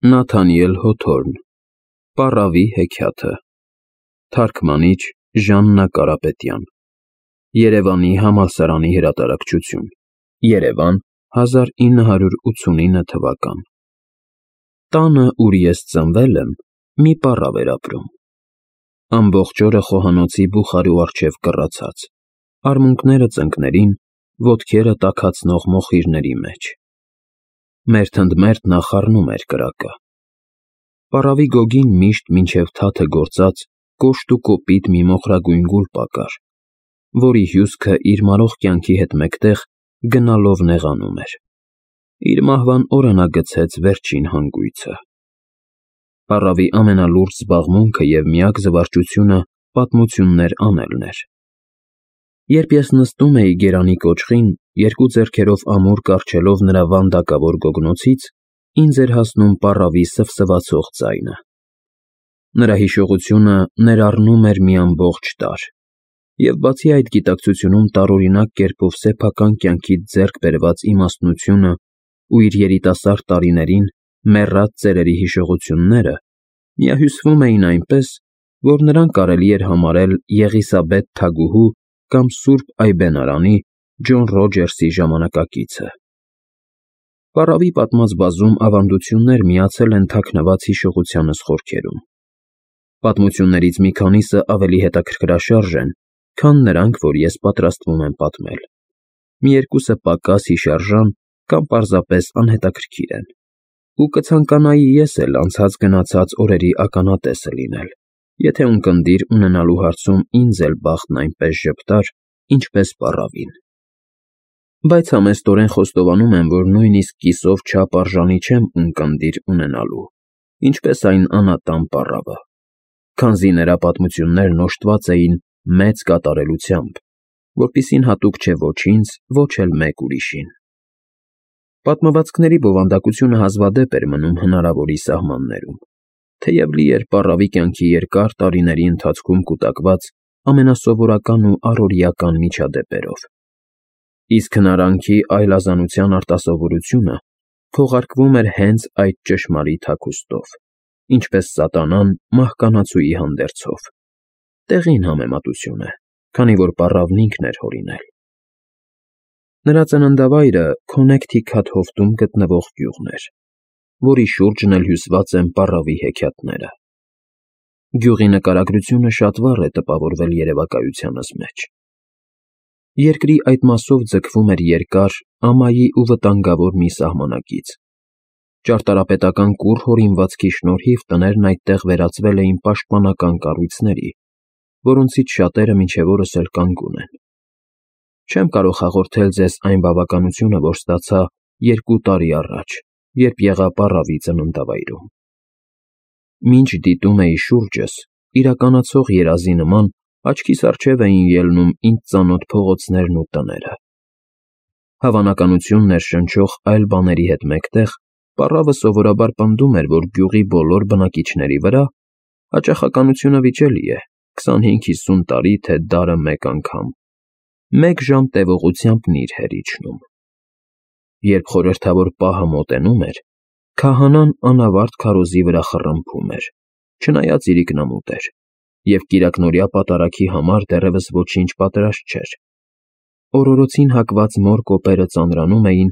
Նաթանիել Հոթորն Պառավի հեքիաթը Թարգմանիչ Ժաննա Կարապետյան Երևանի համալսարանի հրատարակչություն Երևան 1989 թվական Տանը, ուր ես ծնվել եմ, մի պառավ էր ապրում։ Ամբողջ օրը խոհանոցի բուխարու առջև կռացած, արմունկները ծնկներին, ոտքերը տաքացնող մոխիրների մեջ։ Մերթ ընդ մերթ նա խառնում էր կրակը։ Պառավի գոգին միշտ մինչև թաթը գործած կոշտ ու կոպիտ մի մոխրագույն գուլպա կար, որի հյուսքը իր մարող կյանքի հետ մեկտեղ գնալով նեղանում էր։ Իր մահվան օրը նա գցեց վերջին հանգույցը։ Պառավի ամենալուրջ զբաղմունքը և միակ զվարճությունը պատմություններ անելն էր։ Երբ ես նստում էի գերանի կոճղին, երկու ձեռքերով ամուր կառչելով նրա վանդակավոր գոգնոցից, ինձ էր հասնում պառավի սվսվացող ձայնը։ Նրա հիշողությունը ներառնում էր մի ամբողջ տարր, և բացի այդ գիտակցությունում տարօրինակ կերպով սեփական կյանքից ձեռք բերված իմաստնությունը ու իր երիտասարդ տարիներին մեռած ծերերի հիշողությունները միահյուսվում էին այնպես, որ նրան կարելի էր համարել Եղիսաբեթ թագուհու կամ Սուրբ Այբենարանի Ջոն Ռոջերսի ժամանակակիցը։ Պառավի պատմած բազում ավանդություններ միացել են թաքնված հիշողությանս խորքերում։ Պատմություններից մի քանիսը ավելի հետաքրքրաշարժ են, քան նրանք, որ ես պատրաստվում եմ պատմել։ Մի երկուսը պակաս հիշարժան կամ պարզապես անհետաքրքիր են, ու կցանկանայի ես էլ անցած-գնացած օրերի ականատեսը լինել, եթե ունկնդիր ունենալու հարցում ինձ էլ բախտն այնպես ժպտար, ինչպես պառավին։ Բայց համեստորեն խոստովանում եմ, որ նույնիսկ կիսով չափ արժանի չեմ ունկնդիր ունենալու, ինչպես այն անատան պառավը, քանզի նրա պատմություններն օժտված էին մեծ կատարելությամբ, որպիսին հատուկ չէ ոչ ինձ, ոչ էլ մեկ ուրիշին։ Պատմվածքների բովանդակությունը հազվադեպ էր մնում հնարավորի սահմաններում, թեև լի էր պառավի կյանքի երկար տարիների ընթացքում կուտակված ամենասովորական ու առօրեական միջադեպերով։ Իսկ հնարանքի այլազանության արտասովորությունը քողարկվում էր հենց այդ ճշմարիտ հագուստով, ինչպես սատանան մահկանացուի հանդերձով։ Տեղին համեմատություն է, քանի որ պառավն ինքն էր հորինել։ Նրա ծննդավայրը Քոնեքթիքաթ հովտում գտնվող գյուղն էր, որի շուրջն էլ հյուսված են պառավի հեքիաթները։ Գյուղի նկարագրությունը շատ վառ է տպավորվել երևակայությանս մեջ։ Երկրի այդ մասով ձգվում էր երկար, ամայի ու վտանգավոր մի սահմանակից։ Ճարտարապետական կուռ հորինվածքի շնորհիվ տներն այդտեղ վերածվել էին պաշտպանական կառույցների, որոնցից շատերը մինչև օրս էլ կանգուն են։ Չեմ կարող հաղորդել ձեզ այն բավականությունը, որ ստացա 2 տարի առաջ, երբ եղա պառավի ծննդավայրում։ Մինչ դիտում էի շուրջս, իրականացող երազի նման աչքիս առջև էին ելնում ինձ ծանոթ փողոցներն ու տները։ Հավանականություն ներշնչող այլ բաների հետ մեկտեղ պառավը սովորաբար պնդում էր, որ գյուղի բոլոր բնակիչների վրա հաճախականությունը վիճելի է 25-50 տարի, թե դարը մեկ անգամ, 1 ժամ տևողությամբ նիր էր իջնում։ Երբ խորհրդավոր պահը մոտենում էր, քահանան անավարտ քարոզի վրա խռմփում էր, չնայած իրիկնամուտ էր, և կիրակնօրյա պատարագի համար դեռևս ոչինչ պատրաստ չէր։ Օրորոցին հակված մոր կոպերը ծանրանում էին,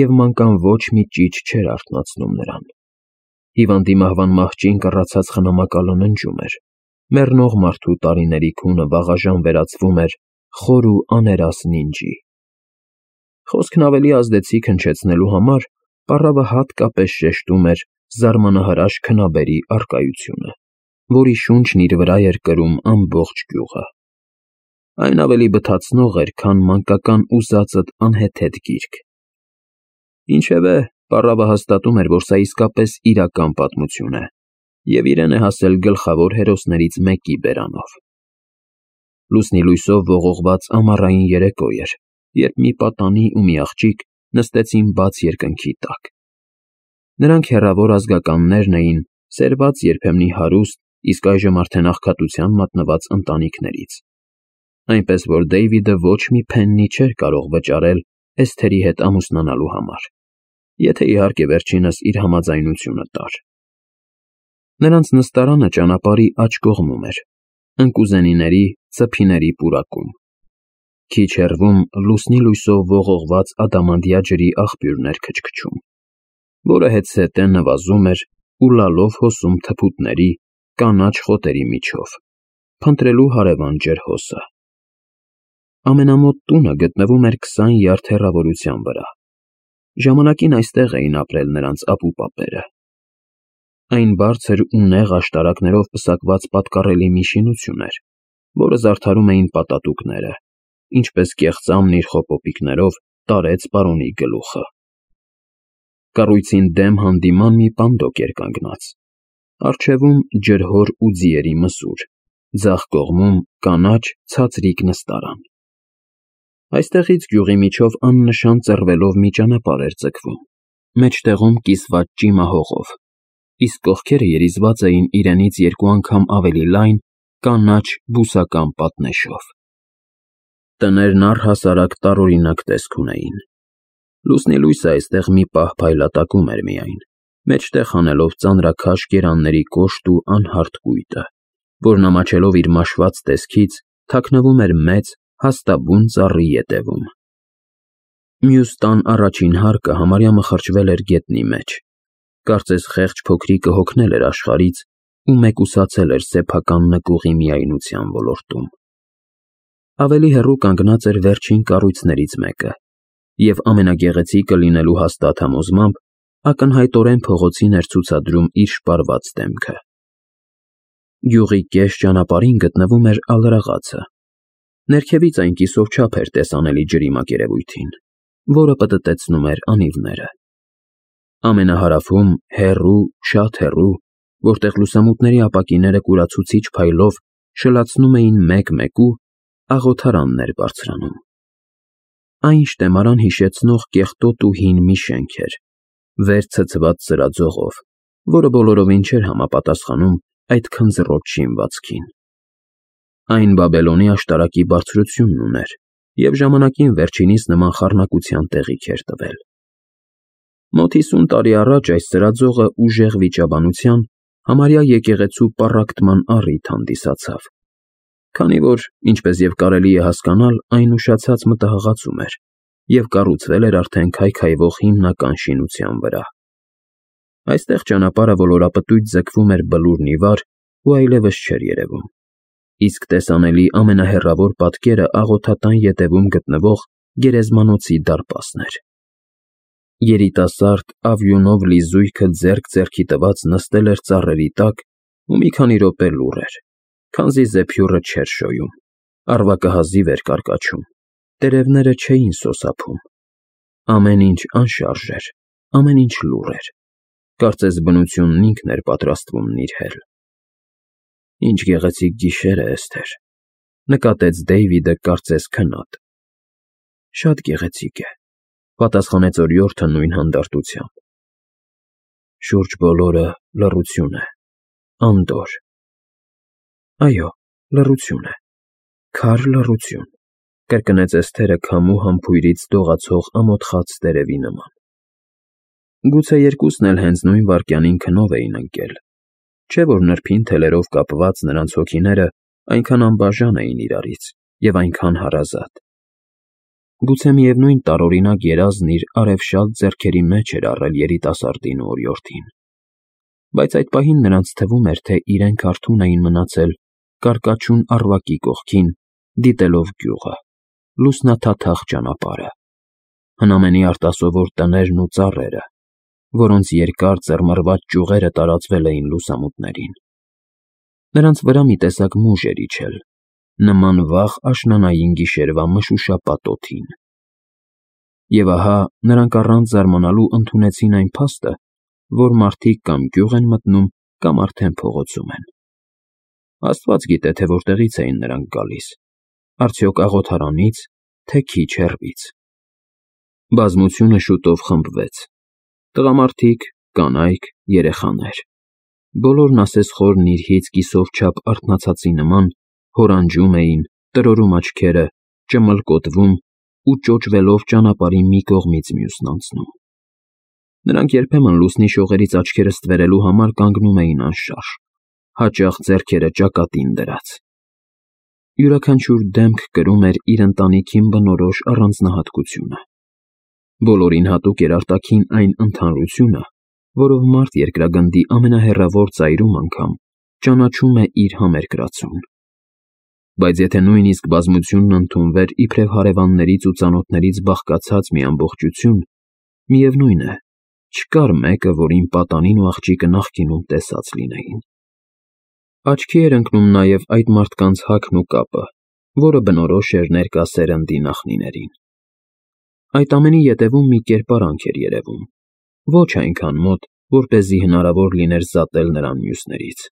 և մանկան ոչ մի ճիչ չէր արթնացնում նրան։ Հիվանդի մահվան մահճին կռացած խնամակալը ննջում էր, մեռնող մարդու տարիների քունը վաղաժամ վերածվում էր խոր ու աներաս նինջի։ Խոսքն ավելի ազդեցիկ հնչեցնելու համար պառավը հատկապես շեշտում էր զարմանահրաշ քնաբերի առկայությունը, որի շունչն իր վրա էր կրում ամբողջ գյուղը։ Այն ավելի բթացնող էր, քան մանկական ուզածդ անհեթեթ գիրք։ Ինչևէ, պառավը հաստատում էր, որ սա իսկապես իրական պատմություն է, և իրեն է հասել գլխավոր հերոսներից մեկի բերանով։ Լուսնի լույսով ողողված ամառային երեկո էր, երբ մի պատանի ու մի աղջիկ նստեցին բաց երկնքի տակ։ Նրանք հեռավոր ազգականներն էին, սերված երբեմնի հարուստ, իսկ այժմ արդեն աղքատության մատնված ընտանիքներից, այնպես որ Դեյվիդը ոչ մի փեննի չէր կարող վճարել Էսթերի հետ ամուսնանալու համար, եթե իհարկե վերջինս իր համաձայնությունը տար։ Նրանց նստարանը ճանապարհի աջ կողմում էր, ընկուզենիների, ծփիների պուրակում։ Քիչ հեռվում լուսնի լույսով ողողված ադամանդյա ջրի աղբյուրներ քչքչում, որը հետզհետե նվազում էր ու լալով հոսում թփուտների, կանաչ խոտերի միջով, փնտրելու հարևան ջրհոսը։ Ամենամոտ տունը գտնվում էր 20 յարդ հեռավորության վրա։ Ժամանակին այստեղ էին ապրել նրանց ապուպապերը։ Այն բարձր ու նեղ աշտարակներով պսակված պատկառելի մի շինություն էր, որը զարդարում էին պատատուկները, ինչպես կեղծամն իր խոպոպիկներով տարեց պարոնի գլուխը։ Կառույցին դեմ հանդիման մի պանդոկ էր կանգնած, առջևում ջրհոր ու ձիերի մսուր, ձախ կողմում կանաչ ցածրիկ նստարան։ Այստեղից գյուղի միջով աննշան ծռվելով մի ճանապարհ էր ձգվում, մեջտեղում կիսված ճիմահողով, իսկ կողքերը երիզված էին իրենից 2 անգամ ավելի լայն կանաչ բուսական պատնեշով։ Տներն առհասարակ տարօրինակ տեսք ունեին։ Լուսնի լույսը այստեղ մի պահ փայլատակում էր միայն, մեջտեղ հանելով ծանրաքաշ կերանների կոշտ ու անհարթ կույտը, որն ամաչելով իր մաշված տեսքից, թաքնվում էր մեծ, հաստաբուն ծառի ետևում։ Մյուս տան առաջին հարկը համարյա մխրճվել էր գետնի մեջ, կարծես խեղճ փոքրիկը հոգնել էր աշխարհից ու մեկուսացել էր սեփական նկուղի միայնության ոլորտում։ Ավելի հեռու կանգնած էր վերջին կառույցներից մեկը, և ամենագեղեցիկը լինելու հաստատ համոզմամբ ակնհայտորեն փողոցին էր ցուցադրում իր շպարված դեմքը։ Գյուղի կես ճանապարհին գտնվում էր ալրաղացը։ Ներքևից այն կիսով չափ էր տեսանելի ջրի մակերևույթին, որը պտտեցնում էր անիվները։ Ամենահարավում, հեռու, շատ հեռու, որտեղ լուսամուտների ապակիները կուրացուցիչ փայլով շլացնում էին մեկ-մեկու, աղոթարանն էր բարձրանում։ Այն շտեմարան հիշեցնող կեղտոտ ու հին մի շենք էր, վեր ցցված սրածողով, որը բոլորովին չէր համապատասխանում այդ քնձռոտ շինվածքին։ Այն Բաբելոնի աշտարակի բարձրությունն ուներ և ժամանակին վերջինիս նման խառնակության տեղիք էր տվել։ Մոտ 50 տարի առաջ այս սրածողը ուժեղ վիճաբանության, համարյա եկեղեցու պառակտման առիթ հանդիսացավ, քանի որ, ինչպես և կարելի է հասկանալ, այն ուշացած մտահղացում էր և կառուցվել էր արդեն քայքայվող հիմնական շինության վրա։ Այստեղ ճանապարհը ոլորապտույտ ձգվում էր բլուրն ի վար ու այլևս չէր երևում, իսկ տեսանելի ամենահեռավոր պատկերը աղոթատան ետևում գտնվող գերեզմանոցի դարպասն էր։ Երիտասարդ, ավյունով լի զույգը ձեռք ձեռքի տված նստել էր ծառերի տակ ու մի քանի րոպե լուռ էր, քանզի զեփյուռը չէր շոյում, առվակը հազիվ էր կարկաչում, տերևները չէին սոսափում։ Ամեն ինչ անշարժ էր, ամեն ինչ լուռ էր, կարծես բնությունն ինքն էր պատրաստվում նիրհել։ «Ինչ գեղեցիկ գիշեր է, Էսթեր», նկատեց Դեյվիդը կարծես քնած։ «Շատ գեղեցիկ է», պատասխանեց օրիորդը նույն հանդարտությամբ։ «Շուրջ բոլորը լռություն է, անդորր»։ «Այո, լռություն է, քար լռություն», կրկնեց Էսթերը քամու համբույրից դողացող ամոթխած տերևի նման։ Գուցե երկուսն էլ հենց նույն վայրկյանին քնով էին ընկել, չէ՞ որ նրբին թելերով կապված նրանց հոգիները այնքան անբաժան էին իրարից և այնքան հարազատ։ Գուցե միևնույն տարօրինակ երազն իր արևշալ ձեռքերի մեջ էր առել երիտասարդին ու օրիորդին, բայց այդ պահին նրանց թվում էր, թե իրենք արթուն էին մնացել կարկաչուն առվակի կողքին, դիտելով գյուղը, լուսնաթաթախ ճանապարհը, հնամենի արտասովոր տներն ու ծառերը, որոնց երկար ծռմռված ճյուղերը տարածվել էին լուսամուտներին։ Նրանց վրա մի տեսակ մուժ էր իջել, նման վաղ աշնանային գիշերվա մշուշապատ օդին։ Եվ ահա նրանք առանց զարմանալու ընդունեցին այն փաստը, որ մարդիկ կամ գյուղ են մտնում, կամ արդեն փողոցում են։ Աստված գիտե, թե որտեղից էին նրանք գալիս, արդյոք աղոթարանից, թե քիչ հեռվից։ Բազմությունը շուտով խմբվեց. տղամարդիկ, կանայք, երեխաներ։ Բոլորն ասեսխոր նիրհից կիսով չափ արթնացածի նման հորանջում էին, տրորում աչքերը, ճմլկոտվում ու ճոճվելով ճանապարհի մի կողմից մյուսն անցնում։ Նրանք երբեմն լուսնի շողերից աչքերը ստվերելու համար կանգնում էին անշարժ, հաճախ ձեռքերը ճակատին դրած։ Յուրաքանչյուր դեմք կրում էր իր ընտանիքին բնորոշ առանձնահատկությունը։ Բոլորին հատուկ էր արտաքին այն ընդհանրությունը, որով մարդ երկրագնդի ամենահեռավոր ծայրում անգամ ճանաչում է իր համերկրացուն։ Բայց եթե նույնիսկ բազմությունն ընդունվեր իբրև հարևաններից ու ծանոթներից բաղկացած մի ամբողջություն, միևնույն է, չկար մեկը, որին պատանին ու աղջիկը նախկինում տեսած լինեին։ Աչքի էր ընկնում նաև այդ մարդկանց հագն ու կապը, որը բնորոշ էր ներկա սերնդի նախնիներին։ Այդ ամենի ետևում մի կերպարանք էր երևում, ոչ այնքան մոտ, որպեսզի հնարավոր լիներ զատել նրան մյուսներից։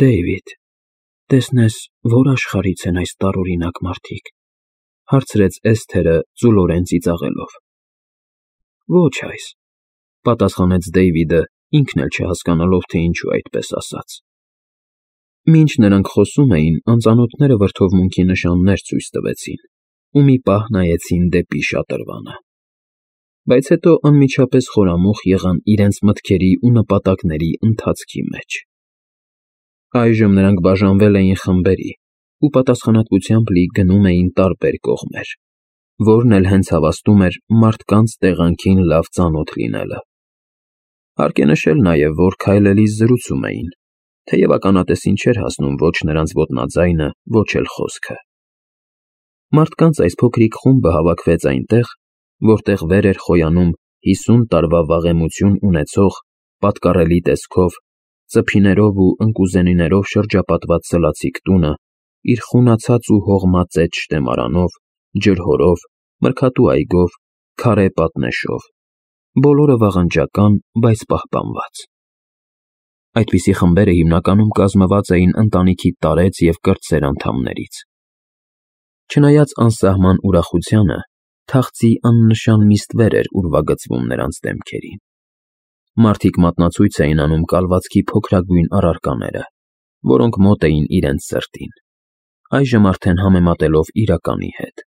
«Դեյվիդ, տեսնես, որ աշխարհից են այս տարօրինակ մարդիկ», հարցրեց Էսթերը ծուլորեն ծիծաղելով։ «Ոչ այս», պատասխանեց Դեյվիդը, ինքն էլ չհասկանալով, թե ինչու այդպես ասաց։ Մինչ նրանք խոսում էին, անծանոթները վրդովմունքի նշաններ ցույց տվեցին ու մի պահ նայեցին դեպի շատրվանը։ Բայց հետո անմիջապես խորամուխ եղան իրենց մտքերի ու նպատակների ընթացքի մեջ։ Այժմ նրանք բաժանվել էին խմբերի ու պատասխանատվությամբ լի գնում էին տարբեր կողմեր, որն էլ հենց հավաստում էր մարդկանց տեղանքին լավ ծանոթ լինելը։ Հարկ է նշել նաև, որ քայլելիս զրուցում էին, թեև ականատեսին չէր հասնում ոչ նրանց ոտնաձայնը, ոչ էլ խոսքը։ Մարդկանց այս փոքրիկ խումբը հավաքվեց այնտեղ, որտեղ վեր էր խոյանում 50 տարվա վաղեմություն ունեցող, պատկառելի տեսքով, ծփիներով ու ընկուզենիներով շրջապատված սլացիկ տունը, իր խունացած ու հողմածեծ շտեմարանով, ջրհորով, մրգատու այգով, քարե պատնեշով, բոլորը վաղնջական, բայց պահպանված։ Այդպիսի խմբերը հիմնականում կազմված էին ընտանիքի տարեց և կրտսեր անդամներից։ Չնայած անսահման ուրախությանը, թախծի աննշան մի ստվեր էր ուրվագծվում նրանց դեմքերին։ Մարդիկ մատնացույց էին անում կալվածքի փոքրագույն առարկաները, որոնք մոտ էին իրենց սրտին, այժմ արդեն համեմատելով իրականի հետ։